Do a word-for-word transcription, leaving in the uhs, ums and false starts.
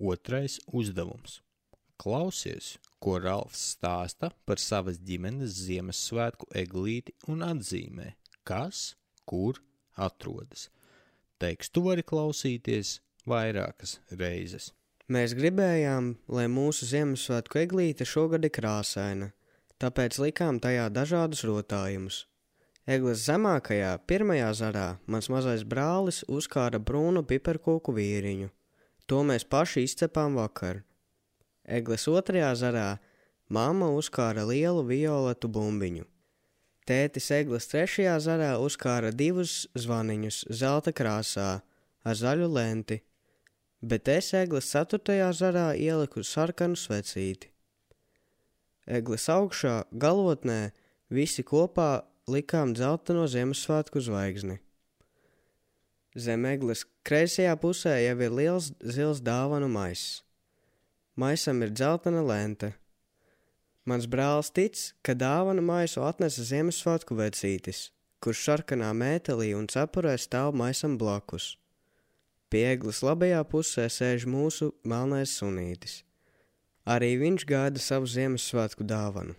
Otrais uzdevums. Klausies, ko Ralfs stāsta par savas ģimenes Ziemassvētku eglīti un atzīmē, kas, kur atrodas. Tekstu vari klausīties vairākas reizes. Mēs gribējām, lai mūsu Ziemassvētku eglīte šogad ir krāsaina, tāpēc likām tajā dažādus rotājumus. Egles zemākajā, pirmajā zarā, mans mazais brālis uzkāra brūnu piparkūku vīriņu. To mēs paši izcepām vakar. Egles otrajā zarā mamma uzkāra lielu violetu bumbiņu. Tētis Egles trešajā zarā uzkāra divus zvaniņus zelta krāsā ar zaļu lenti, bet es Egles ceturtajā zarā ieliku sarkanu svecīti. Egles augšā, galotnē, visi kopā likām dzelteno Ziemassvētku zvaigzni. Zem Egles kreisajā pusē jau ir liels zils dāvanu maiss. Maisam ir dzeltena lente. Mans brālis tic, ka dāvanu maisu atnesa Ziemassvētku vecītis, kurš sarkanā mētelī un cepurē stāv maisam blakus. Pie Egles labajā pusē sēž mūsu melnais sunītis. Arī viņš gaida savu Ziemassvētku dāvanu.